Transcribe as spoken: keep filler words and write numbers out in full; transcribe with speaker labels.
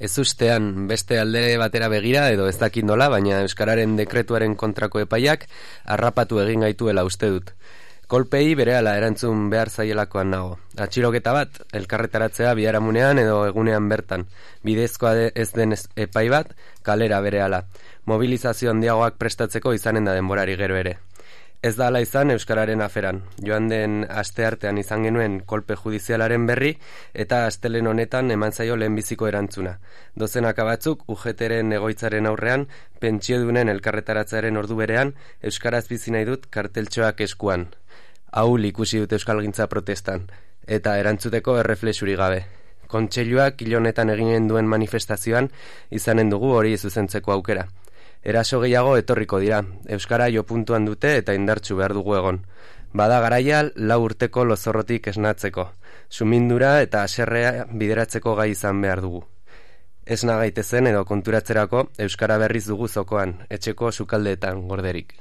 Speaker 1: Ez ustean beste alde batera begira edo ez dakit nola, baina Euskararen dekretuaren kontrako epaiak harrapatu egin gaituela uste dut. Kolpei berehala erantzun behar zaielakoan nago. Atxiloketa bat, elkarretaratzea biharamunean edo egunean bertan. Bidezkoa ez den epai bat, kalera berehala. Mobilizazio handiagoak prestatzeko izanen da denborari gero ere. Ez da ala izan Euskararen aferan. Joan den asteartean izan genuen kolpe judizialaren berri eta astelen honetan eman zaio lehenbiziko erantzuna. Dozenaka batzuk U G Tren egoitzaren aurrean, pentsiodunen elkarretaratzearen ordu berean, Euskaraz bizi nahi dut karteltxoak eskuan. Ahul ikusi dut euskalgintza protestan, eta erantzuteko erreflexurik gabe. Kontseiluak hil honetan eginen duen manifestazioan izanen dugu hori zuzentzeko aukera. Eraso gehiago etorriko dira, euskara jo puntuan dute eta indartsu behar dugu egon. Bada garaia lau urteko lozorrotik esnatzeko, sumindura eta haserrea bideratzeko gai izan behar dugu. Esna gaitezen edo konturatzerako euskara berriz dugu zokoan, etxeko sukaldeetan gorderik.